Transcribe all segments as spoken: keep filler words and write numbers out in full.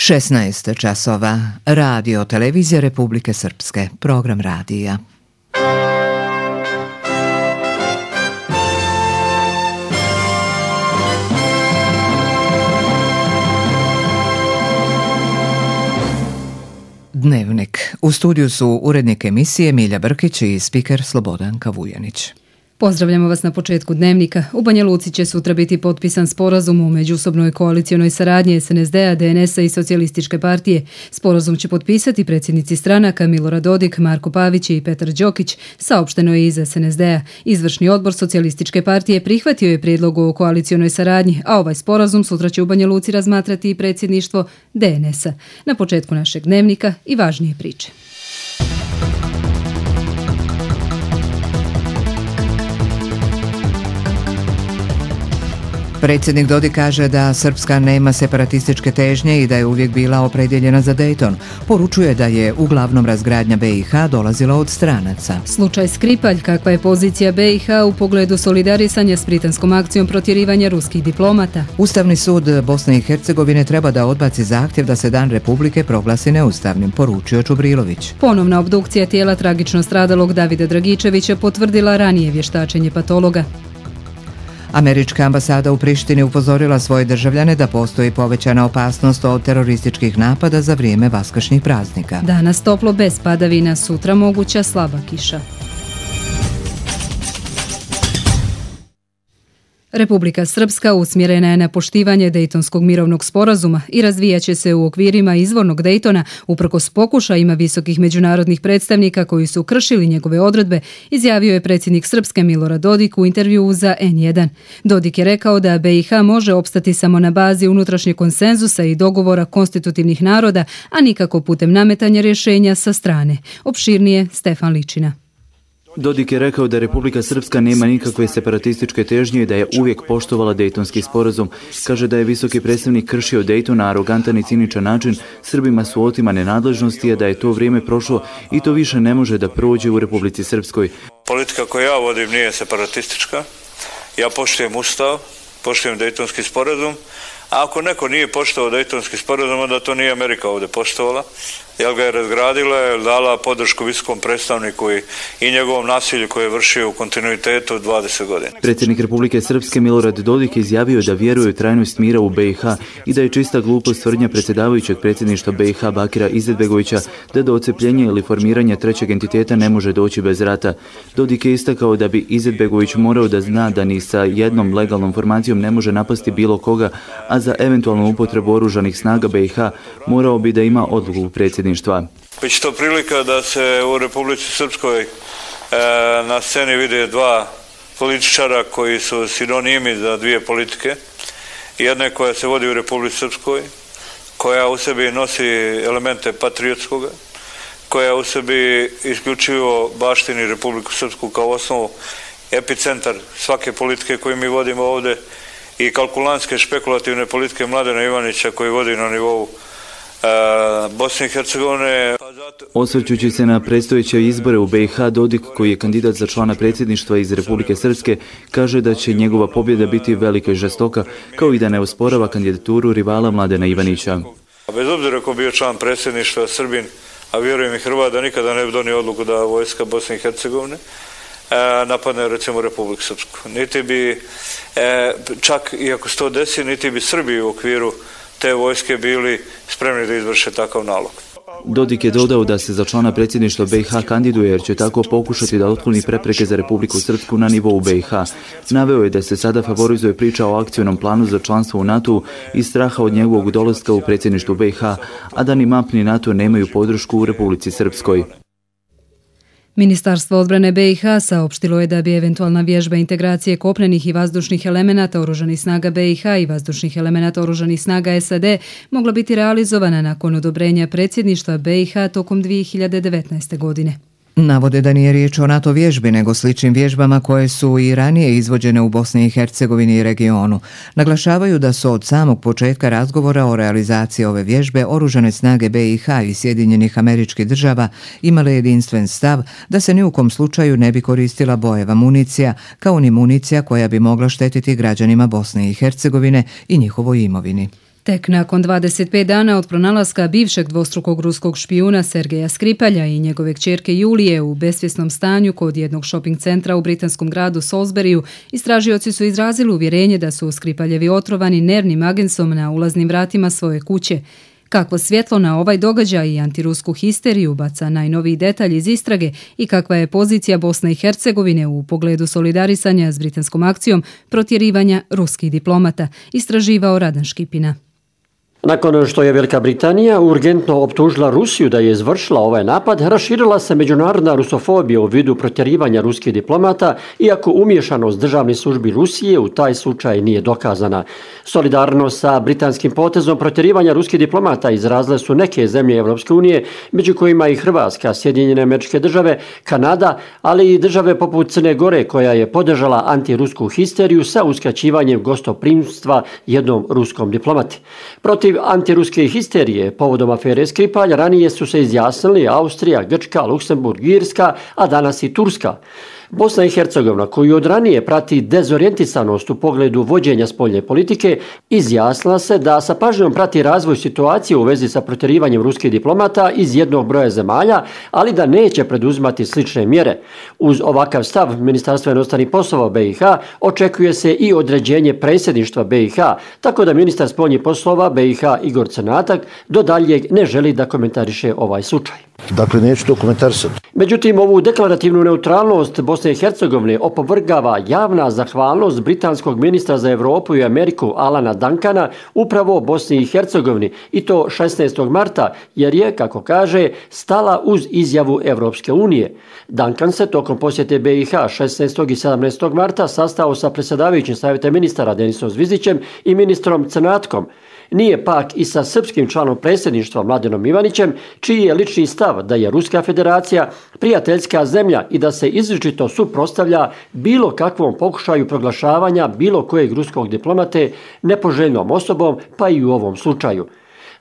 šesnaest časova. Radio Televizija Republike Srpske. Program radija. Dnevnik. U studiju su urednik emisije Milja Brkić i spiker Slobodanka Vujanić. Pozdravljamo vas na početku Dnevnika. U Banja Luci će sutra biti potpisan sporazum o međusobnoj koalicionoj saradnji es en es de a, de en es a i Socijalističke partije. Sporazum će potpisati predsjednici stranaka Milorad Dodik, Marko Pavić i Petar Đokić, saopšteno je iz es en es de a. Izvršni odbor Socijalističke partije prihvatio je prijedlog o koalicionoj saradnji, a ovaj sporazum sutra će u Banja Luci razmatrati i predsjedništvo de en es a. Na početku našeg Dnevnika i važnije priče. Predsjednik Dodik kaže da Srpska nema separatističke težnje i da je uvijek bila opredjeljena za Dejton. Poručuje da je uglavnom razgradnja be i ha dolazila od stranaca. Slučaj Skripalj, kakva je pozicija be i ha u pogledu solidarisanja s britanskom akcijom protjerivanja ruskih diplomata. Ustavni sud Bosne i Hercegovine treba da odbaci zahtjev da se Dan Republike proglasi neustavnim, poručio Čubrilović. Ponovna obdukcija tijela tragično stradalog Davida Dragičevića potvrdila ranije vještačenje patologa. Američka ambasada u Prištini upozorila svoje državljane da postoji povećana opasnost od terorističkih napada za vrijeme vaskršnjih praznika. Danas toplo bez padavina, sutra moguća slaba kiša. Republika Srpska usmjerena je na poštivanje Dejtonskog mirovnog sporazuma i razvijaće se u okvirima izvornog Dejtona uprkos pokušajima visokih međunarodnih predstavnika koji su kršili njegove odredbe, izjavio je predsjednik Srpske Milorad Dodik u intervjuu za en jedan. Dodik je rekao da be i ha može opstati samo na bazi unutrašnjeg konsenzusa i dogovora konstitutivnih naroda, a nikako putem nametanja rješenja sa strane. Opširnije Stefan Ličina. Dodik je rekao da Republika Srpska nema nikakve separatističke težnje i da je uvijek poštovala Dejtonski sporazum. Kaže da je visoki predstavnik kršio Dejton na arogantan i ciničan način, Srbima su otimane nadležnosti, a da je to vrijeme prošlo i to više ne može da prođe u Republici Srpskoj. Politika koju ja vodim nije separatistička. Ja poštujem Ustav, poštujem Dejtonski sporazum, a ako neko nije poštovao Dejtonski sporazum, onda to nije Amerika ovdje poštovala. Jel ga je razgradila, je dala podršku visokom predstavniku i, i njegovom nasilju koje je vršio u kontinuitetu dvadeset godina. Predsjednik Republike Srpske Milorad Dodik izjavio da vjeruje u trajnost mira u be i ha i da je čista glupost tvrdnja predsjedavajućeg predsjedništva be i ha Bakira Izetbegovića da do odcepljenja ili formiranja trećeg entiteta ne može doći bez rata. Dodik je istakao da bi Izetbegović morao da zna da ni sa jednom legalnom formacijom ne može napasti bilo koga, a za eventualnu upotrebu oružanih snaga be i ha morao bi da ima odluku predsjedništva. Biće to prilika da se u Republici Srpskoj e, na sceni vide dva političara koji su sinonimi za dvije politike. Jedna koja se vodi u Republici Srpskoj, koja u sebi nosi elemente patriotskoga, koja u sebi isključivo baštini Republiku Srpsku kao osnovu, epicentar svake politike koju mi vodimo ovdje i kalkulantske špekulativne politike Mladena Ivanića koji vodi na nivou Bosne i Hercegovine. Osvrćući se na predstojeće izbore u be i ha, Dodik, koji je kandidat za člana predsjedništva iz Republike Srpske, kaže da će njegova pobjeda biti velika i žestoka, kao i da ne osporava kandidaturu rivala Mladena Ivanića. Bez obzira ko bio član predsjedništva Srbin, a vjerujem i Hrvat, da nikada ne bi donio odluku da vojska Bosne i Hercegovine napadne recimo Republiku Srpsku. Niti bi, čak i ako se to desi, niti bi Srbi u okviru te vojske bili spremni da izvrše takav nalog. Dodik je dodao da se za člana predsjedništva be i ha kandiduje jer će tako pokušati da otkloni prepreke za Republiku Srpsku na nivou be i ha. Naveo je da se sada favorizuje priča o akcionom planu za članstvo u NATO i straha od njegovog dolaska u predsjedništvu be i ha, a da ni M A P ni NATO nemaju podršku u Republici Srpskoj. Ministarstvo odbrane be i ha saopštilo je da bi eventualna vježba integracije kopnenih i vazdušnih elemenata oružanih snaga be i ha i vazdušnih elemenata oružanih snaga es a de mogla biti realizovana nakon odobrenja predsjedništva be i ha tokom dvije hiljade devetnaeste. godine. Navode da nije riječ o NATO vježbi, nego sličnim vježbama koje su i ranije izvođene u Bosni i Hercegovini i regionu. Naglašavaju da su od samog početka razgovora o realizaciji ove vježbe oružane snage be i ha i Sjedinjenih Američkih Država imale jedinstven stav da se ni u kom slučaju ne bi koristila bojeva municija, kao ni municija koja bi mogla štetiti građanima Bosne i Hercegovine i njihovoj imovini. Tek nakon dvadeset pet dana od pronalaska bivšeg dvostrukog ruskog špijuna Sergeja Skripalja i njegove kćerke Julije u besvjesnom stanju kod jednog shopping centra u britanskom gradu Salisburyu, istražioci su izrazili uvjerenje da su Skripaljevi otrovani nervnim agensom na ulaznim vratima svoje kuće. Kakvo svjetlo na ovaj događaj i antirusku histeriju baca najnoviji detalj iz istrage i kakva je pozicija Bosne i Hercegovine u pogledu solidarisanja s britanskom akcijom protjerivanja ruskih diplomata, istraživao Radan Škipina. Nakon što je Velika Britanija urgentno optužila Rusiju da je izvršila ovaj napad, raširila se međunarodna rusofobija u vidu protjerivanja ruskih diplomata, iako umješanost državnih službi Rusije u taj slučaj nije dokazana. Solidarno sa britanskim potezom protjerivanja ruskih diplomata izrazile su neke zemlje Evropske unije, među kojima i Hrvatska, Sjedinjene Američke Države, Kanada, ali i države poput Crne Gore, koja je podržala antirusku histeriju sa uskraćivanjem gostoprimstva jednom ruskom diplomati. Protiv antiruske histerije povodom afere Skripalj ranije su se izjasnili Austrija, Grčka, Luksemburg, Irska, a danas i Turska. Bosna i Hercegovina, koju od ranije prati dezorijentisanost u pogledu vođenja spoljne politike, izjasnila se da sa pažnjom prati razvoj situacije u vezi sa protjerivanjem ruskih diplomata iz jednog broja zemalja, ali da neće preduzimati slične mjere. Uz ovakav stav Ministarstva inostranih poslova B i H očekuje se i određenje predsjedništva B i H, tako da ministar spoljnih poslova B i H Igor Crnatak do daljeg ne želi da komentariše ovaj slučaj. Dakle, neću to komentarisati. Međutim, ovu deklarativnu neutralnost Bosne i Hercegovine opovrgava javna zahvalnost britanskog ministra za Europu i Ameriku Alana Duncana upravo Bosni i Hercegovini, i to šesnaestog marta, jer je, kako kaže, stala uz izjavu Evropske unije. Duncan se tokom posjete B i H šesnaestog i sedamnaestog marta sastao sa predsjedavajućim savjeta ministara Denisom Zvizdićem i ministrom Crnatkom. Nije pak i sa srpskim članom predsjedništva Mladenom Ivanićem, čiji je lični stav da je Ruska federacija prijateljska zemlja i da se izričito suprotstavlja bilo kakvom pokušaju proglašavanja bilo kojeg ruskog diplomate nepoželjnom osobom, pa i u ovom slučaju.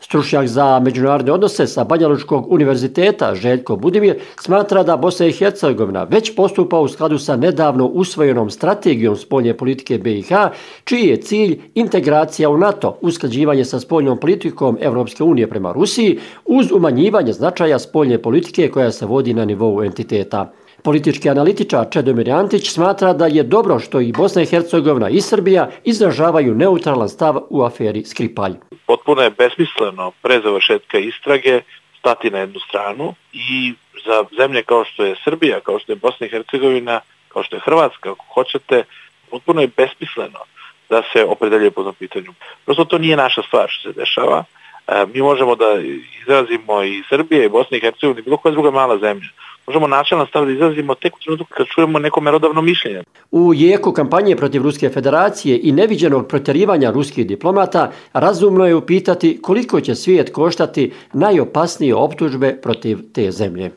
Stručnjak za međunarodne odnose sa Banjalučkog univerziteta Željko Budimir smatra da Bosna i Hercegovina već postupa u skladu sa nedavno usvojenom strategijom spoljne politike B i H, čiji je cilj integracija u NATO, usklađivanje sa spoljnom politikom Evropske unije prema Rusiji, uz umanjivanje značaja spoljne politike koja se vodi na nivou entiteta. Politički analitičar Čedomir Antić smatra da je dobro što i Bosna i Hercegovina i Srbija izražavaju neutralan stav u aferi Skripalj. Potpuno je besmisleno pre završetka istrage stati na jednu stranu i za zemlje kao što je Srbija, kao što je Bosna i Hercegovina, kao što je Hrvatska, ako hoćete, potpuno je besmisleno da se opredeljuje po tom pitanju. Prosto to nije naša stvar što se dešava. Mi možemo da izrazimo i Srbije, i Bosna i Hercegovina, i bilo koja druga mala zemlja. Možemo načelno stav da izrazimo tek u trenutku kad čujemo neko merodavno mišljenje. U jeku kampanje protiv Ruske federacije i neviđenog protjerivanja ruskih diplomata razumno je upitati koliko će svijet koštati najopasnije optužbe protiv te zemlje.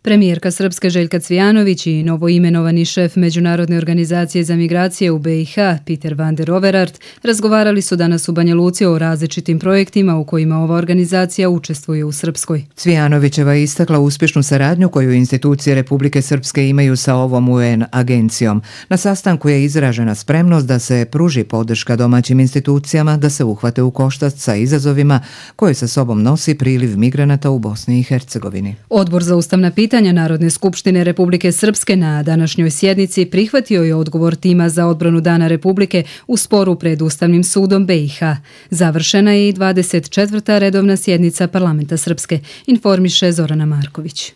Premijerka Srpske Željka Cvijanović i novoimenovani šef Međunarodne organizacije za migracije u B i H, Peter van der Overaert, razgovarali su danas u Banja Luci o različitim projektima u kojima ova organizacija učestvuje u Srpskoj. Cvijanovićeva je istakla uspješnu saradnju koju institucije Republike Srpske imaju sa ovom U N agencijom. Na sastanku je izražena spremnost da se pruži podrška domaćim institucijama da se uhvate u koštac sa izazovima koje sa sobom nosi priliv migranata u Bosni i Hercegovini. Odbor za ustavna pitanja Narodne skupštine Republike Srpske na današnjoj sjednici prihvatio je odgovor tima za odbranu Dana Republike u sporu pred Ustavnim sudom B i H. Završena je i dvadeset četvrta redovna sjednica Parlamenta Srpske, informiše Zorana Marković.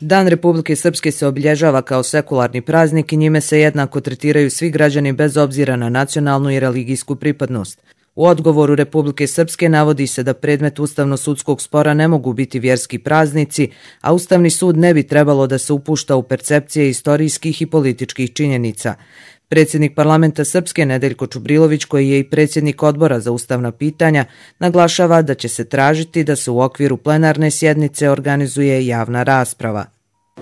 Dan Republike Srpske se obilježava kao sekularni praznik i njime se jednako tretiraju svi građani bez obzira na nacionalnu i religijsku pripadnost. U odgovoru Republike Srpske navodi se da predmet ustavno-sudskog spora ne mogu biti vjerski praznici, a Ustavni sud ne bi trebalo da se upušta u percepcije istorijskih i političkih činjenica. Predsjednik Parlamenta Srpske Nedeljko Čubrilović, koji je i predsjednik odbora za ustavna pitanja, naglašava da će se tražiti da se u okviru plenarne sjednice organizuje javna rasprava.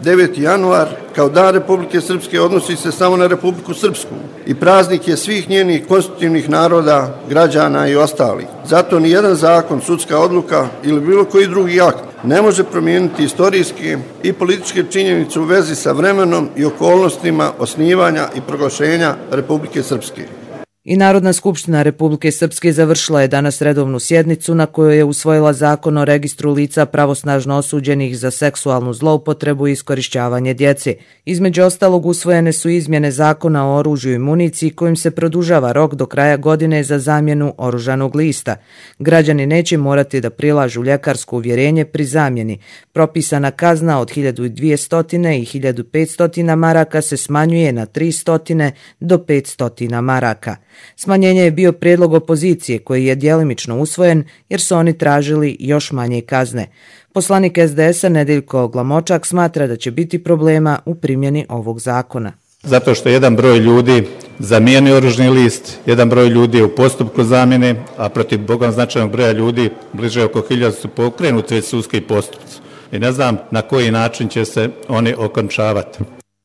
deveti januar kao Dan Republike Srpske odnosi se samo na Republiku Srpsku i praznik je svih njenih konstitutivnih naroda, građana i ostalih. Zato ni jedan zakon, sudska odluka ili bilo koji drugi akt ne može promijeniti istorijske i političke činjenice u vezi sa vremenom i okolnostima osnivanja i proglašenja Republike Srpske. I Narodna skupština Republike Srpske završila je danas redovnu sjednicu na kojoj je usvojila zakon o registru lica pravosnažno osuđenih za seksualnu zloupotrebu i iskorišćavanje djece. Između ostalog usvojene su izmjene zakona o oružju i municiji kojim se produžava rok do kraja godine za zamjenu oružanog lista. Građani neće morati da prilažu ljekarsko uvjerenje pri zamjeni. Propisana kazna od hiljadu dvjesto i hiljadu petsto maraka se smanjuje na tristo do petsto maraka. Smanjenje je bio prijedlog opozicije koji je djelimično usvojen jer su oni tražili još manje kazne. Poslanik es de es a Nedeljko Glamočak smatra da će biti problema u primjeni ovog zakona. Zato što jedan broj ljudi zamijeni oružni list, jedan broj ljudi je u postupku zamjene, a protiv bogom značajnog broja ljudi, bliže oko hiljadu su pokrenuti već sudski postupci. I ne znam na koji način će se oni okončavati.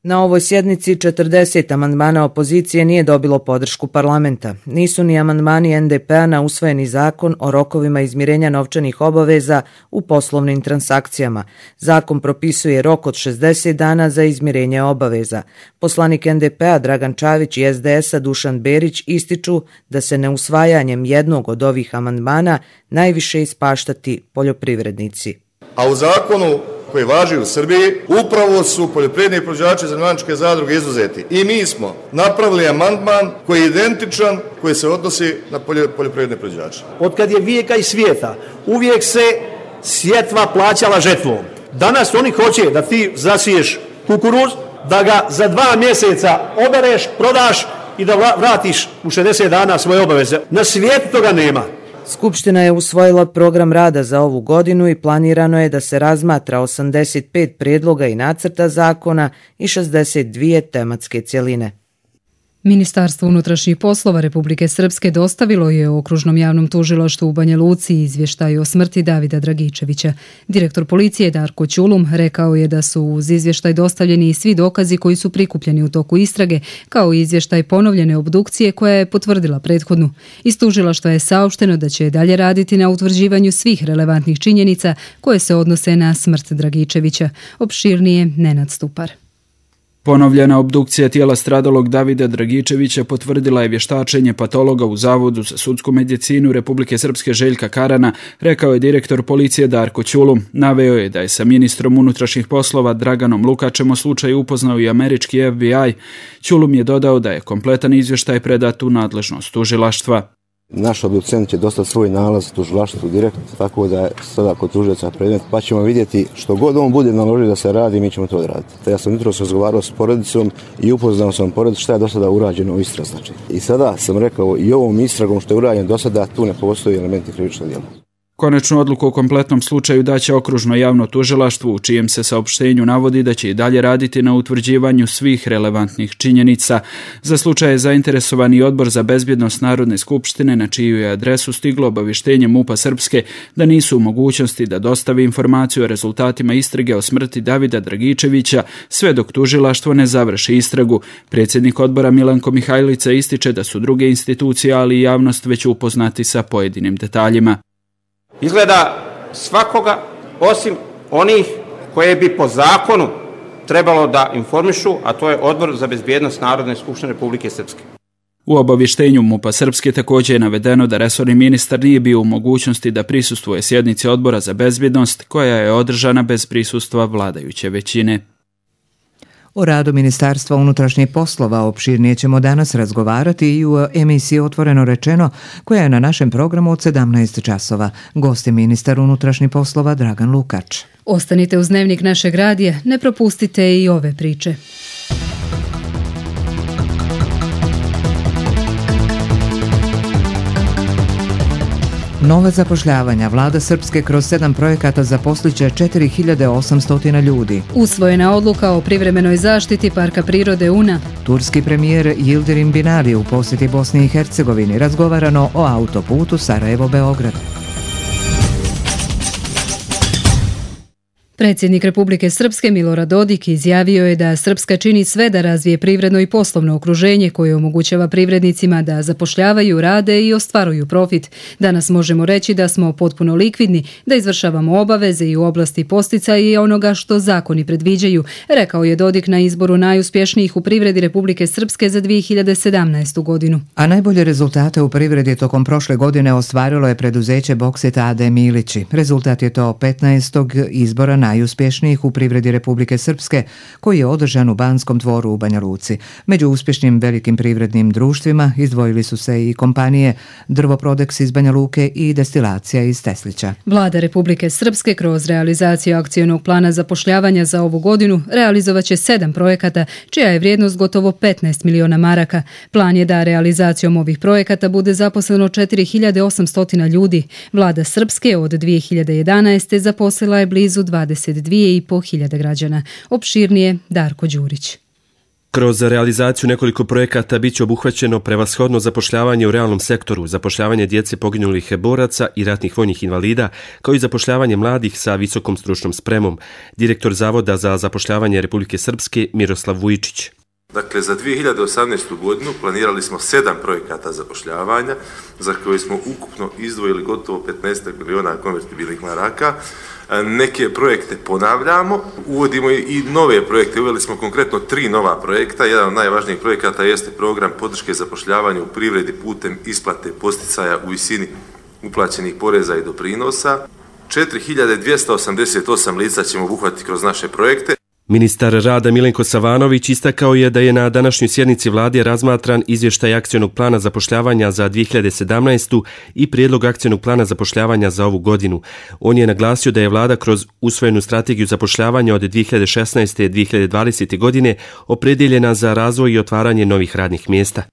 Na ovoj sjednici četrdeset amandmana opozicije nije dobilo podršku parlamenta. Nisu ni amandmani en de pe a na usvojeni zakon o rokovima izmirenja novčanih obaveza u poslovnim transakcijama. Zakon propisuje rok od šezdeset dana za izmirenje obaveza. Poslanik en de pe a Dragan Čavić i es de es a Dušan Berić ističu da se neusvajanjem jednog od ovih amandmana najviše ispaštati poljoprivrednici. A u zakonu koji važi u Srbiji, upravo su poljoprivredni proizvođači zemljoradničke zadruge izuzeti. I mi smo napravili amandman koji je identičan, koji se odnosi na poljoprivredne proizvođače. Od kad je vijeka i svijeta, uvijek se sjetva plaćala žetvom. Danas oni hoće da ti zasiješ kukuruz, da ga za dva mjeseca obereš, prodaš i da vratiš u šezdeset dana svoje obaveze. Na svijetu toga nema. Skupština je usvojila program rada za ovu godinu i planirano je da se razmatra osamdeset pet prijedloga i nacrta zakona i šezdeset dvije tematske cjeline. Ministarstvo unutrašnjih poslova Republike Srpske dostavilo je Okružnom javnom tužilaštvu u Banja Luci izvještaj o smrti Davida Dragičevića. Direktor policije Darko Ćulum rekao je da su uz izvještaj dostavljeni i svi dokazi koji su prikupljeni u toku istrage, kao i izvještaj ponovljene obdukcije koja je potvrdila prethodnu. Iz tužilaštva je saopšteno da će dalje raditi na utvrđivanju svih relevantnih činjenica koje se odnose na smrt Dragičevića. Opširnije Nenad Stupar. Ponovljena obdukcija tijela stradalog Davida Dragičevića potvrdila je vještačenje patologa u Zavodu za sudsku medicinu Republike Srpske Željka Karana, rekao je direktor policije Darko Ćulum. Naveo je da je sa ministrom unutrašnjih poslova Draganom Lukačem o slučaju upoznao i američki ef bi aj. Ćulum je dodao da je kompletan izvještaj predat u nadležnost tužilaštva. Naš obducent će dostati svoj nalaz tužilaštvu direktno, tako da je sada kod tužioca predmet, pa ćemo vidjeti što god on bude naložio da se radi, mi ćemo to odraditi. Ja sam jutros razgovarao s porodicom i upoznao sam porodicu šta je do sada urađeno u istrazi. Znači. I sada sam rekao i ovom istragom što je urađeno do sada, tu ne postoji elementi krivičnog djela. Konačnu odluku o kompletnom slučaju daće Okružno javno tužilaštvo, u čijem se saopštenju navodi da će i dalje raditi na utvrđivanju svih relevantnih činjenica. Za slučaj je zainteresovani Odbor za bezbjednost Narodne skupštine, na čiju je adresu stiglo obavještenje MUP-a Srpske da nisu u mogućnosti da dostavi informaciju o rezultatima istrage o smrti Davida Dragičevića sve dok tužilaštvo ne završi istragu. Predsjednik odbora Milanko Mihajlica ističe da su druge institucije, ali i javnost već upoznati sa pojedinim detaljima. Izgleda svakoga osim onih koje bi po zakonu trebalo da informišu, a to je Odbor za bezbjednost Narodne skupštine Republike Srpske. U obavještenju MUP-a Srpske također je navedeno da resorni ministar nije bio u mogućnosti da prisustvuje sjednici Odbora za bezbjednost koja je održana bez prisustva vladajuće većine. O radu Ministarstva unutrašnjih poslova opširnije ćemo danas razgovarati i u emisiji Otvoreno rečeno, koja je na našem programu od sedamnaest časova. Gost je ministar unutrašnjih poslova Dragan Lukač. Ostanite uz Dnevnik našeg radija, ne propustite i ove priče. Nova zapošljavanja. Vlada Srpske kroz sedam projekata zaposliće četiri hiljade osamsto ljudi. Usvojena odluka o privremenoj zaštiti Parka prirode Una. Turski premijer Yildirim Binali u posjeti Bosni i Hercegovini. Razgovarano o autoputu Sarajevo-Beograd. Predsjednik Republike Srpske Milorad Dodik izjavio je da Srpska čini sve da razvije privredno i poslovno okruženje koje omogućava privrednicima da zapošljavaju, rade i ostvaruju profit. Danas možemo reći da smo potpuno likvidni, da izvršavamo obaveze i u oblasti posticaja i onoga što zakoni predviđaju, rekao je Dodik na izboru najuspješnijih u privredi Republike Srpske za dvije hiljade sedamnaestu godinu. A najbolje rezultate u privredi tokom prošle godine ostvarilo je preduzeće Boksit A D Milići. Rezultat je to petnaestog izbora najuspješnijih u privredi Republike Srpske, koji je održan u Banskom dvoru u Banja Luci. Među uspješnim velikim privrednim društvima izdvojili su se i kompanije Drvoprodex iz Banja Luke i Destilacija iz Teslića. Vlada Republike Srpske kroz realizaciju akcionog plana zapošljavanja za ovu godinu realizovaće sedam projekata, čija je vrijednost gotovo petnaest miliona maraka. Plan je da realizacijom ovih projekata bude zaposleno četiri hiljade osamsto ljudi. Vlada Srpske od dvije hiljade jedanaeste zaposlila je blizu dvadeset dvije i po hiljade građana. Opširnije Darko Đurić. Kroz realizaciju nekoliko projekata biće obuhvaćeno prevashodno zapošljavanje u realnom sektoru, zapošljavanje djece poginulih boraca i ratnih vojnih invalida, kao i zapošljavanje mladih sa visokom stručnom spremom. Direktor Zavoda za zapošljavanje Republike Srpske Miroslav Vujčić. Dakle, za dvije hiljade osamnaestu godinu planirali smo sedam projekata zapošljavanja, za koje smo ukupno izdvojili gotovo petnaest miliona konvertibilnih maraka. Neke projekte ponavljamo, uvodimo i nove projekte, uveli smo konkretno tri nova projekta. Jedan od najvažnijih projekata jeste program podrške zapošljavanja u privredi putem isplate posticaja u visini uplaćenih poreza i doprinosa. četiri hiljade dvjesto osamdeset osam lica ćemo obuhvatiti kroz naše projekte. Ministar rada Milenko Savanović istakao je da je na današnjoj sjednici vlade razmatran izvještaj akcionog plana zapošljavanja za dvije hiljade sedamnaestu. i prijedlog akcionog plana zapošljavanja za ovu godinu. On je naglasio da je vlada kroz usvojenu strategiju zapošljavanja od dvije hiljade šesnaeste. do dvije hiljade dvadesete. godine opredjeljena za razvoj i otvaranje novih radnih mjesta.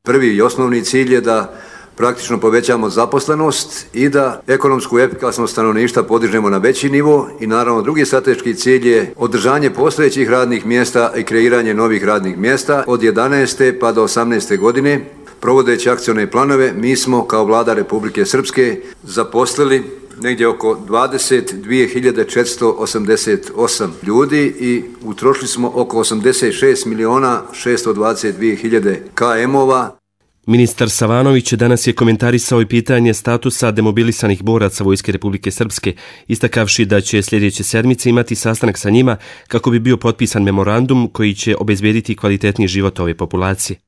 Prvi i osnovni cilj je da praktično povećamo zaposlenost i da ekonomsku efikasnost stanovništva podižemo na veći nivo i naravno drugi strateški cilj je održanje postojećih radnih mjesta i kreiranje novih radnih mjesta. Od jedanaeste pa do osamnaeste godine, provodeći akcione planove, mi smo kao vlada Republike Srpske zaposlili negdje oko dvadeset dvije hiljade četiristo osamdeset osam ljudi i utrošili smo oko osamdeset šest miliona šesto dvadeset dvije hiljade km-ova. Ministar Savanović danas je komentarisao i pitanje statusa demobilisanih boraca Vojske Republike Srpske, istakavši da će sljedeće sedmice imati sastanak sa njima kako bi bio potpisan memorandum koji će obezbediti kvalitetniji život ove populacije.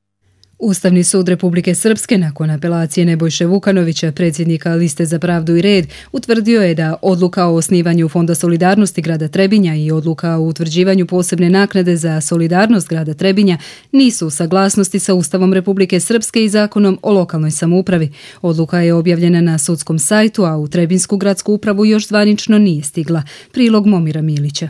Ustavni sud Republike Srpske nakon apelacije Nebojše Vukanovića, predsjednika Liste za pravdu i red, utvrdio je da odluka o osnivanju Fonda solidarnosti grada Trebinja i odluka o utvrđivanju posebne naknade za solidarnost grada Trebinja nisu u saglasnosti sa Ustavom Republike Srpske i zakonom o lokalnoj samoupravi. Odluka je objavljena na sudskom sajtu, a u Trebinsku gradsku upravu još zvanično nije stigla. Prilog Momira Milića.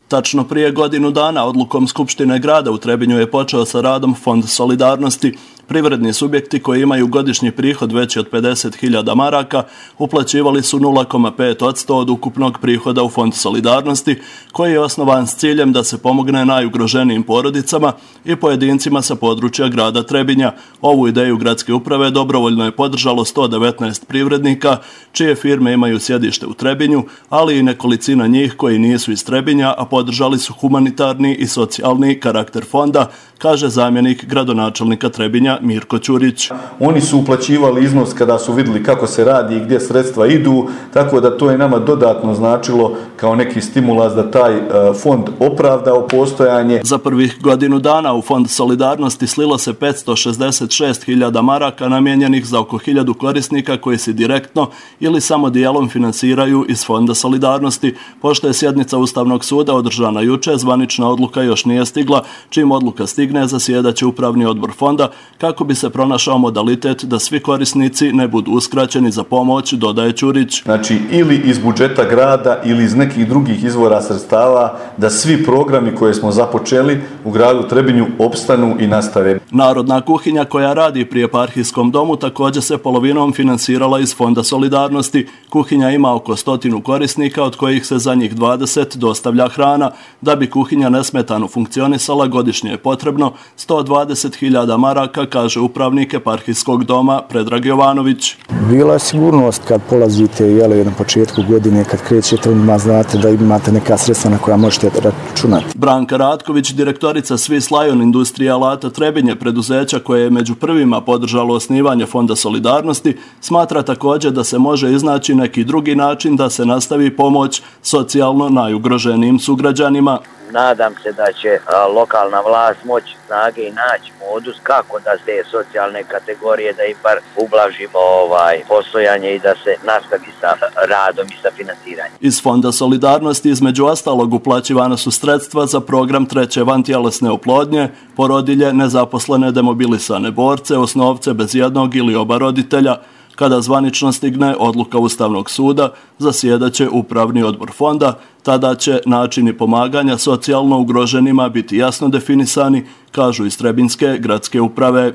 Tačno prije godinu dana odlukom Skupštine grada u Trebinju je počeo sa radom Fond solidarnosti. Privredni subjekti koji imaju godišnji prihod veći od pedeset hiljada maraka uplaćivali su nula zarez pet posto od ukupnog prihoda u Fond solidarnosti, koji je osnovan s ciljem da se pomogne najugroženijim porodicama i pojedincima sa područja grada Trebinja. Ovu ideju gradske uprave dobrovoljno je podržalo sto devetnaest privrednika, čije firme imaju sjedište u Trebinju, ali i nekolicina njih koji nisu iz Trebinja, a podržali su humanitarni i socijalni karakter fonda, kaže zamjenik gradonačelnika Trebinja Mirko Ćurić. Oni su uplaćivali iznos kada su vidjeli kako se radi i gdje sredstva idu, tako da to je nama dodatno značilo kao neki stimulans da taj fond opravdao postojanje. Za prvih godinu dana u Fond solidarnosti slilo se petsto šezdeset šest hiljada maraka namijenjenih za oko hiljadu korisnika koji se direktno ili samo dijelom finansiraju iz Fonda solidarnosti. Pošto je sjednica Ustavnog suda održana juče, zvanična odluka još nije stigla. Čim odluka stigne, zasjedaće upravni odbor fonda kako bi se pronašao modalitet da svi korisnici ne budu uskraćeni za pomoć, dodaje Ćurić. Znači ili iz budžeta grada ili iz nekih drugih izvora sredstava, da svi programi koje smo započeli u gradu Trebinju opstanu i nastave. Narodna kuhinja koja radi pri eparhijskom domu također se polovinom financirala iz Fonda solidarnosti. Kuhinja ima oko stotinu korisnika od kojih se za njih dvadeset dostavlja hrana. Da bi kuhinja nesmetano funkcionisala godišnje je potrebno sto dvadeset hiljada maraka, kaže upravnik eparhijskog doma Predrag Jovanović. Bila je sigurnost kad polazite jeli, na početku godine, kad krećete, ima znate da imate neka sredstva na koja možete računati. Branka Ratković, direktorica Swiss Lion Industrija alata Trebinje, preduzeća koje je među prvima podržalo osnivanje Fonda solidarnosti, smatra također da se može iznaći neki drugi način da se nastavi pomoć socijalno najugroženijim sugrađanima. Nadam se da će a, lokalna vlast moći snage i naći modus kako da te socijalne kategorije, da im bar ublažimo ovaj, postojanje i da se nastavi sa radom i sa financiranjem. Iz Fonda solidarnosti između ostalog uplaćivana su sredstva za program treće vantjelesne oplodnje, porodilje, nezaposlene demobilisane borce, osnovce bez jednog ili oba roditelja. Kada zvanično stigne odluka Ustavnog suda, zasjedaće upravni odbor fonda, tada će načini pomaganja socijalno ugroženima biti jasno definisani, kažu iz Trebinjske gradske uprave.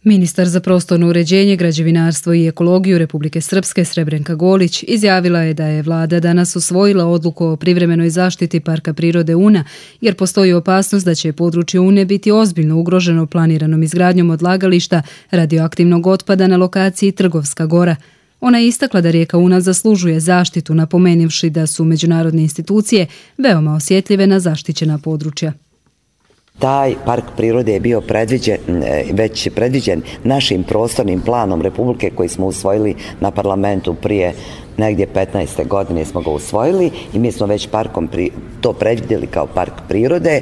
Ministar za prostorno uređenje, građevinarstvo i ekologiju Republike Srpske Srebrenka Golić izjavila je da je vlada danas usvojila odluku o privremenoj zaštiti Parka prirode Una, jer postoji opasnost da će područje Une biti ozbiljno ugroženo planiranom izgradnjom odlagališta radioaktivnog otpada na lokaciji Trgovska gora. Ona je istakla da rijeka Una zaslužuje zaštitu, napomenivši da su međunarodne institucije veoma osjetljive na zaštićena područja. Taj park prirode je bio predviđen, već predviđen našim prostornim planom Republike koji smo usvojili na parlamentu prije negdje petnaeste godine smo ga usvojili i mi smo već parkom pri, to predvidjeli kao park prirode.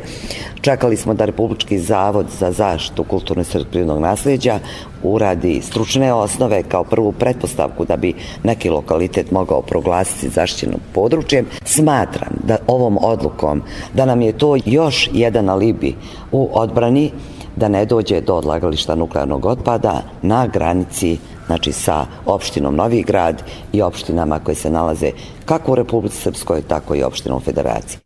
Čekali smo da Republički zavod za zaštitu kulturnog i prirodnog nasljeđa uradi stručne osnove kao prvu pretpostavku da bi neki lokalitet mogao proglasiti zaštićenim područjem. Smatram da ovom odlukom da nam je to još jedan alibi u odbrani da ne dođe do odlagališta nuklearnog otpada na granici, znači sa opštinom Novi Grad i opštinama koje se nalaze kako u Republici Srpskoj, tako i opštinom Federacije.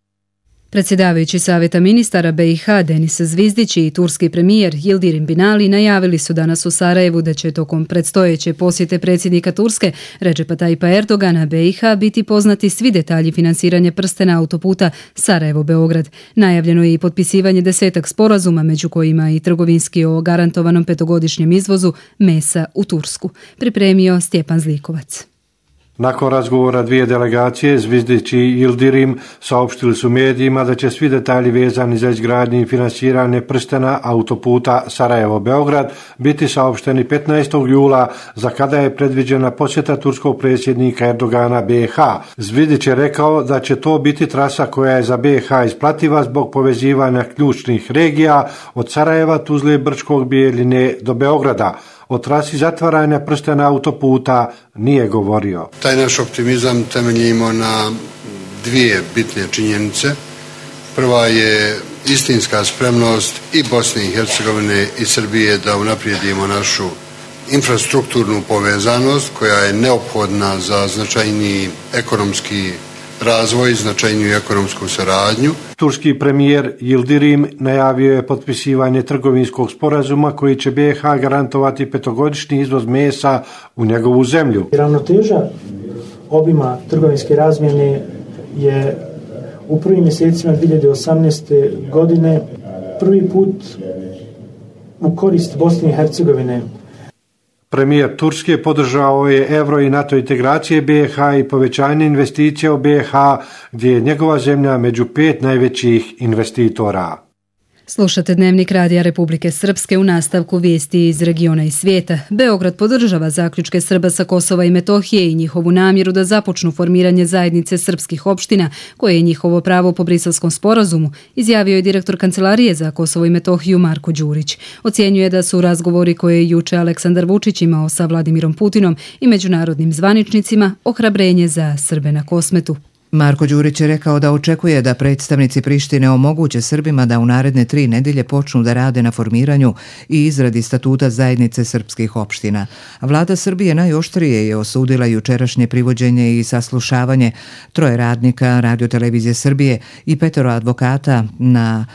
Predsjedavajući Savjeta ministara B i H Denis Zvizdić i turski premijer Yildirim Binali najavili su danas u Sarajevu da će tokom predstojeće posjete predsjednika Turske Recepa Tayyipa Erdogana B i H biti poznati svi detalji finansiranja prstena autoputa Sarajevo-Beograd. Najavljeno je i potpisivanje desetak sporazuma, među kojima i trgovinski o garantovanom petogodišnjem izvozu mesa u Tursku. Pripremio Stjepan Zlikovac. Nakon razgovora dvije delegacije, Zvizdić i Yildirim saopštili su medijima da će svi detalji vezani za izgradnju i finansiranje prstena autoputa Sarajevo-Beograd biti saopšteni petnaestog jula, za kada je predviđena posjeta turskog predsjednika Erdogana B i H. Zvizdić je rekao da će to biti trasa koja je za B i H isplativa zbog povezivanja ključnih regija od Sarajeva, Tuzle, Brčkog, Bijeljine do Beograda. O trasi zatvaranja prstena autoputa nije govorio. Taj naš optimizam temeljimo na dvije bitne činjenice. Prva je istinska spremnost i Bosne i Hercegovine i Srbije da unaprijedimo našu infrastrukturnu povezanost koja je neophodna za značajniji ekonomski razvoj, značajniju ekonomsku saradnju. Turski premijer Yildirim najavio je potpisivanje trgovinskog sporazuma koji će B i H garantovati petogodišnji izvoz mesa u njegovu zemlju. Ravnoteža obima trgovinske razmjene je u prvim mjesecima dvije hiljade osamnaeste. godine prvi put u korist Bosne i Hercegovine. Premijer Turske podržao je euro i NATO integracije B i H i povećanje investicija u B i H, gdje je njegova zemlja među pet najvećih investitora. Slušate Dnevnik Radija Republike Srpske u nastavku vijesti iz regiona i svijeta. Beograd podržava zaključke Srba sa Kosova i Metohije i njihovu namjeru da započnu formiranje zajednice srpskih opština, koje je njihovo pravo po Briselskom sporazumu, izjavio je direktor Kancelarije za Kosovo i Metohiju Marko Đurić. Ocjenjuje da su razgovori koje je juče Aleksandar Vučić imao sa Vladimirom Putinom i međunarodnim zvaničnicima ohrabrenje za Srbe na Kosmetu. Marko Đurić je rekao da očekuje da predstavnici Prištine omoguće Srbima da u naredne tri nedelje počnu da rade na formiranju i izradi statuta zajednice srpskih opština. Vlada Srbije najoštrije je osudila jučerašnje privođenje i saslušavanje troje radnika Radiotelevizije Srbije i petero advokata na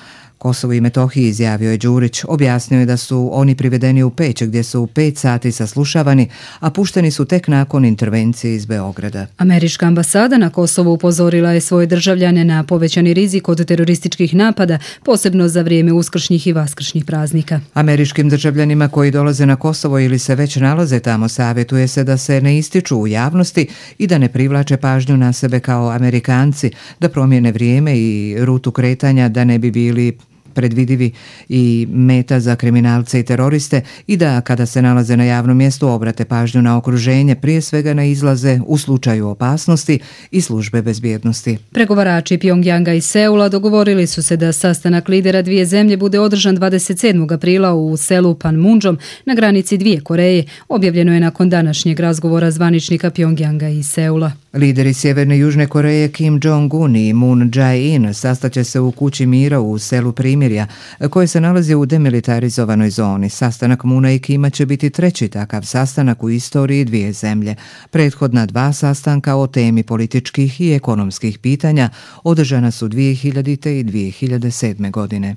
Kosovu i Metohiji, izjavio je Đurić. Objasnio je da su oni privedeni u Peć, gdje su pet sati saslušavani, a pušteni su tek nakon intervencije iz Beograda. Američka ambasada na Kosovu upozorila je svoje državljane na povećani rizik od terorističkih napada, posebno za vrijeme uskršnjih i vaskršnjih praznika. Američkim državljanima koji dolaze na Kosovo ili se već nalaze tamo savjetuje se da se ne ističu u javnosti i da ne privlače pažnju na sebe kao Amerikanci, da promijene vrijeme i rutu kretanja da ne bi bili predvidivi i meta za kriminalce i teroriste i da kada se nalaze na javnom mjestu obrate pažnju na okruženje, prije svega na izlaze u slučaju opasnosti i službe bezbjednosti. Pregovarači Pjongjanga i Seula dogovorili su se da sastanak lidera dvije zemlje bude održan dvadeset sedmog aprila u selu Panmunjom na granici dvije Koreje, objavljeno je nakon današnjeg razgovora zvaničnika Pjongjanga i Seula. Lideri Sjeverne i Južne Koreje Kim Jong-un i Moon Jae-in sastaće se u kući mira u selu Primirja, koje se nalazi u demilitarizovanoj zoni. Sastanak Moona i Kima će biti treći takav sastanak u istoriji dvije zemlje. Prethodna dva sastanka o temi političkih i ekonomskih pitanja održana su dvije hiljadite i dvije hiljade sedme. godine.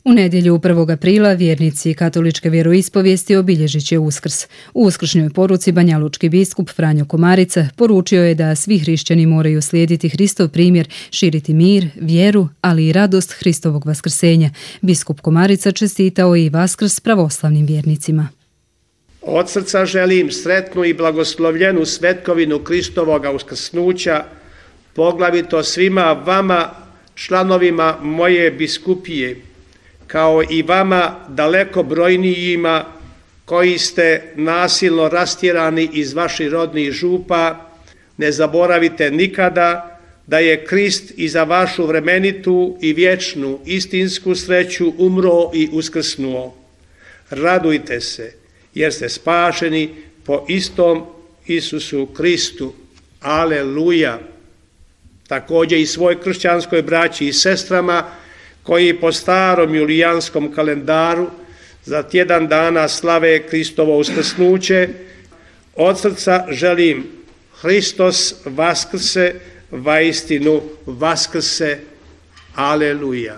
U nedjelju prvog aprila vjernici katoličke vjeroispovijesti obilježit će Uskrs. U uskršnjoj poruci banjalučki biskup Franjo Komarica poručio je da svi hrišćani moraju slijediti Hristov primjer, širiti mir, vjeru, ali i radost Hristovog vaskrsenja. Biskup Komarica čestitao i Vaskrs pravoslavnim vjernicima. Od srca želim sretnu i blagoslovljenu svetkovinu Kristovoga uskrsnuća, poglavito svima vama, članovima moje biskupije, kao i vama daleko brojnijima koji ste nasilno rastjerani iz vaših rodnih župa. Ne zaboravite nikada da je Krist i za vašu vremenitu i vječnu istinsku sreću umro i uskrsnuo. Radujte se jer ste spašeni po istom Isusu Kristu. Aleluja! Također i svoj kršćanskoj braći i sestrama koji po starom julijanskom kalendaru za tjedan dana slave Kristovo uskrsnuće, od srca želim Hristos vaskrse, vaistinu vaskrse. Aleluja.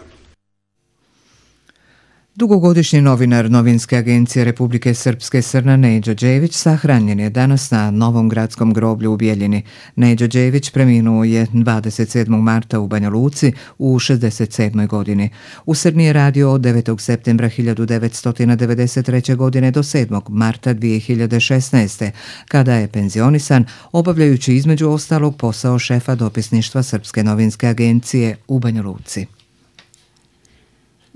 Dugogodišnji novinar Novinske agencije Republike Srpske Srna Neđo Đević sahranjen je danas na Novom gradskom groblju u Bijeljini. Neđo Đević preminuo je dvadeset sedmog marta u Banja Luci u šezdeset sedmoj. godini. U Srni je radio od devetog septembra hiljadu devetsto devedeset treće. godine do sedmog marta dvije hiljade šesnaeste. kada je penzionisan, obavljajući između ostalog posao šefa dopisništva Srpske novinske agencije u Banja Luci.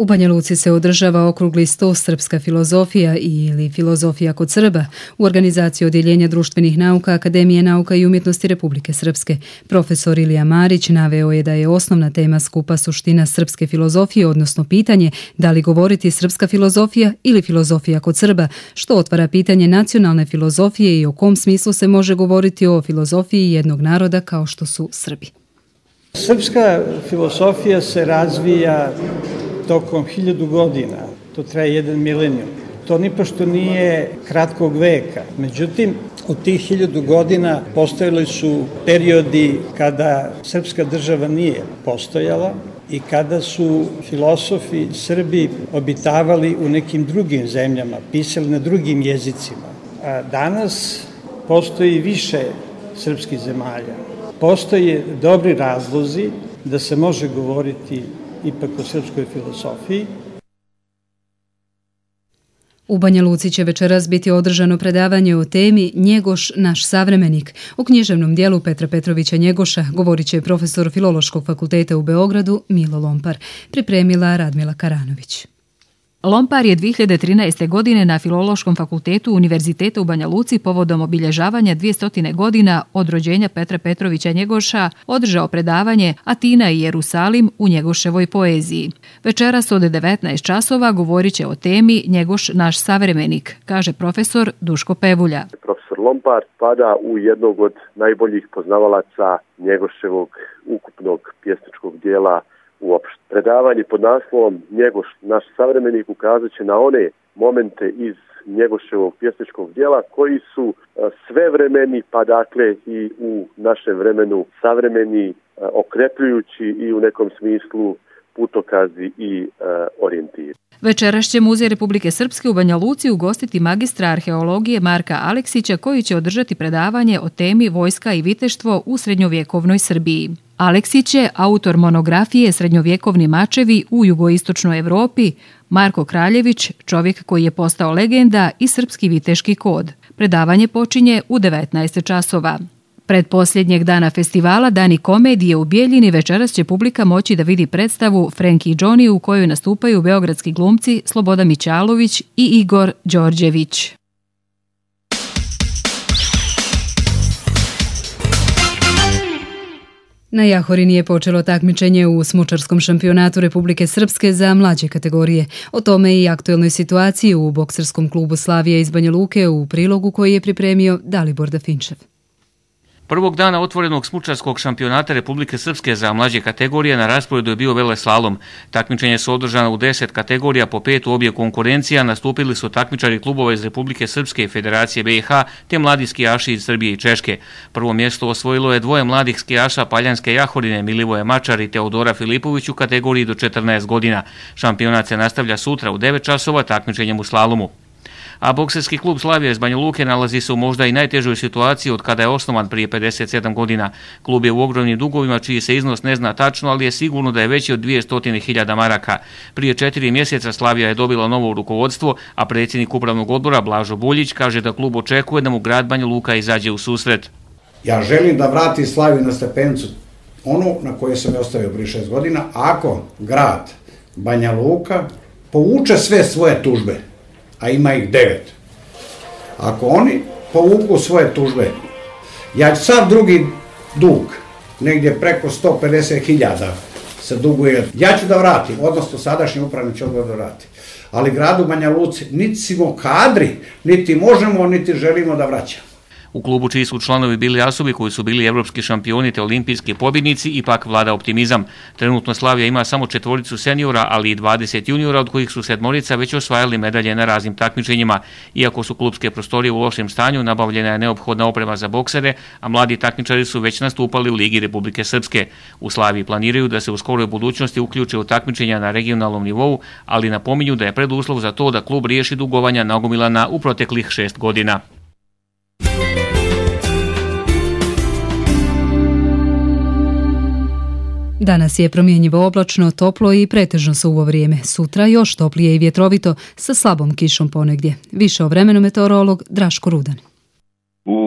U Banja Luci se održava okrugli sto Srpska filozofija ili filozofija kod Srba u organizaciji Odjeljenja društvenih nauka Akademije nauka i umjetnosti Republike Srpske. Profesor Ilija Marić naveo je da je osnovna tema skupa suština srpske filozofije, odnosno pitanje da li govoriti srpska filozofija ili filozofija kod Srba, što otvara pitanje nacionalne filozofije i o kom smislu se može govoriti o filozofiji jednog naroda kao što su Srbi. Srpska filozofija se razvija tokom hiljadu godina, to traje jedan milenijum. To nipošto nije kratkog veka. Međutim, u tih hiljadu godina postojali su periodi kada srpska država nije postojala i kada su filosofi Srbi obitavali u nekim drugim zemljama, pisali na drugim jezicima. A danas postoji više srpskih zemalja. Postoje dobri razlozi da se može govoriti ipak o srpskoj filozofiji. U Banja Luci će večeras biti održano predavanje o temi Njegoš, naš savremenik. U književnom dijelu Petra Petrovića Njegoša govorit će profesor Filološkog fakulteta u Beogradu Milo Lompar, pripremila Radmila Karanović. Lompar je dvije hiljade trinaeste. godine na Filološkom fakultetu Univerziteta u Banja Luci povodom obilježavanja dvjestotina godina od rođenja Petra Petrovića Njegoša održao predavanje Atina i Jerusalim u Njegoševoj poeziji. Večeras od devetnaest časova govorit će o temi Njegoš, naš savremenik, kaže profesor Duško Pevulja. Profesor Lompar spada u jednog od najboljih poznavalaca Njegoševog ukupnog pjesničkog dijela uopšte. Predavanje pod naslovom Njegoš, naš savremenik ukazat će na one momente iz Njegoševog pjesničkog djela koji su svevremeni, pa dakle i u našem vremenu savremeni, okrepljujući i u nekom smislu putokazi i orijentiri. Večeras će Muzej Republike Srpske u Banja Luci ugostiti magistra arheologije Marka Aleksića koji će održati predavanje o temi Vojska i viteštvo u srednjovjekovnoj Srbiji. Aleksić je autor monografije Srednjovjekovni mačevi u jugoistočnoj Evropi, Marko Kraljević, čovjek koji je postao legenda i srpski viteški kod. Predavanje počinje u devetnaest časova. Pred posljednjeg dana festivala Dani komedije u Bijeljini večeras će publika moći da vidi predstavu Frenki i Johnny u kojoj nastupaju beogradski glumci Sloboda Mićalović i Igor Đorđević. Na Jahorini je počelo takmičenje u smučarskom šampionatu Republike Srpske za mlađe kategorije. O tome i aktuelnoj situaciji u bokserskom klubu Slavija iz Banja Luke u prilogu koji je pripremio Dalibor Dafinčev. Prvog dana otvorenog smučarskog šampionata Republike Srpske za mlađe kategorije na rasporedu je bio veleslalom. Takmičenje su održana u deset kategorija, po pet u obje konkurencija, nastupili su takmičari klubova iz Republike Srpske i Federacije B i H, te mladi skijaši iz Srbije i Češke. Prvo mjesto osvojilo je dvoje mladih skijaša Paljanske Jahorine, Milivoje Mačar i Teodora Filipović u kategoriji do četrnaest godina. Šampionat se nastavlja sutra u devet časova takmičenjem u slalomu. A bokserski klub Slavija iz Banja Luke nalazi se u možda i najtežoj situaciji od kada je osnovan prije pedeset sedam godina. Klub je u ogromnim dugovima čiji se iznos ne zna tačno, ali je sigurno da je veći od dvjesto hiljada maraka. Prije četiri mjeseca Slavija je dobila novo rukovodstvo, a predsjednik upravnog odbora Blažo Buljić kaže da klub očekuje da mu grad Banja Luka izađe u susret. Ja želim da vrati Slaviju na stepenicu, onu na kojoj sam je ostavio prije šest godina, ako grad Banja Luka povuče sve svoje tužbe, a ima ih devet. Ako oni povuku svoje tužbe, ja ću sav drugi dug, negdje preko sto pedeset hiljada se duguje, ja ću da vratim, odnosno sadašnji upravni će odbor da vrati. Ali gradu Banja Luci niti smo kadri, niti možemo, niti želimo da vraćamo. U klubu čiji su članovi bili asobi koji su bili evropski šampioni te olimpijski pobjednici, ipak vlada optimizam. Trenutno Slavija ima samo četvoricu seniora, ali i dvadeset juniora, od kojih su sedmorica već osvajali medalje na raznim takmičenjima. Iako su klubske prostorije u lošem stanju, nabavljena je neophodna oprema za boksere, a mladi takmičari su već nastupali u Ligi Republike Srpske. U Slaviji planiraju da se u skoroj budućnosti uključe u takmičenja na regionalnom nivou, ali napominju da je preduslov za to da klub riješi dugovanja nagomilana u proteklih šest godina. Danas je promjenjivo oblačno, toplo i pretežno suvo vrijeme. Sutra još toplije i vjetrovito sa slabom kišom ponegdje. Više o vremenu meteorolog Draško Rudan. U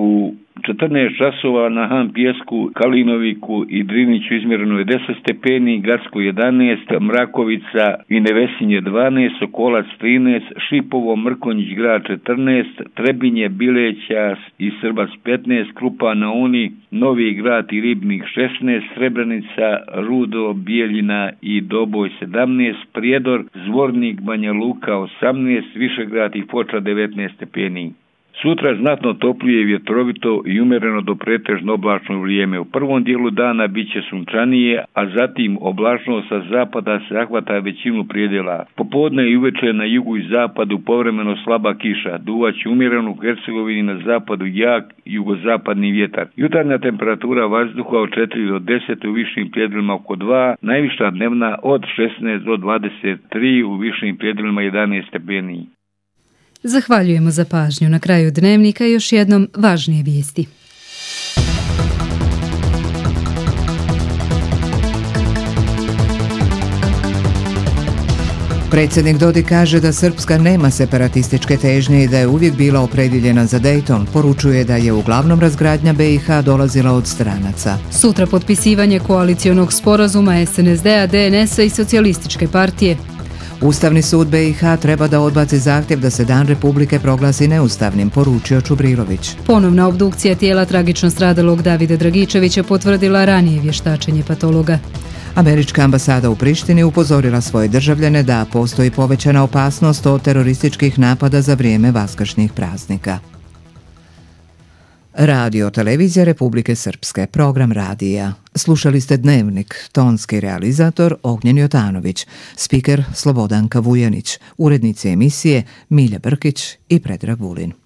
četrnaest časova na Han Pjesku, Kalinoviku i Driniću izmjereno je deset stepeni, Gacko jedanaest, Mrakovica i Nevesinje dvanaest, Sokolac trinaest, Šipovo, Mrkonjić grad četrnaest, Trebinje, Bileća i Srbac petnaest, Krupa na Uni, Novi grad i Ribnik šesnaest, Srebrenica, Rudo, Bijeljina i Doboj sedamnaest, Prijedor, Zvornik, Banja Luka osamnaest, Višegrad i Foča devetnaest stepeni. Sutra znatno toplije i vjetrovito i umjereno do pretežno oblačno vrijeme. U prvom dijelu dana bit će sunčanije, a zatim oblačno sa zapada se zahvata većinu prijedela. Popodne i uveče na jugu i zapadu povremeno slaba kiša. Duvaće umjereno u Hercegovini, na zapadu jak jugozapadni vjetar. Jutarnja temperatura vazduha od četiri do deset, u višim predjelima oko dva, najviša dnevna od šesnaest do dvadeset tri, u višim predjelima jedanaest stepeni. Zahvaljujemo za pažnju. Na kraju dnevnika još jednom važnije vijesti. Predsjednik Dodik kaže da Srpska nema separatističke težnje i da je uvijek bila opredjeljena za Dejton. Poručuje da je uglavnom razgradnja B i H dolazila od stranaca. Sutra potpisivanje koalicionog sporazuma S N S D-a, D N S-a i Socijalističke partije. Ustavni sud B i H treba da odbaci zahtjev da se Dan Republike proglasi neustavnim, poručio Čubrilović. Ponovna obdukcija tijela tragično stradalog Davida Dragičevića potvrdila ranije vještačenje patologa. Američka ambasada u Prištini upozorila svoje državljane da postoji povećana opasnost od terorističkih napada za vrijeme vaskršnjih praznika. Radio Televizija Republike Srpske, program radija. Slušali ste Dnevnik, tonski realizator Ognjen Jotanović, spiker Slobodanka Vujanić, urednici emisije Milja Brkić i Predrag Vulin.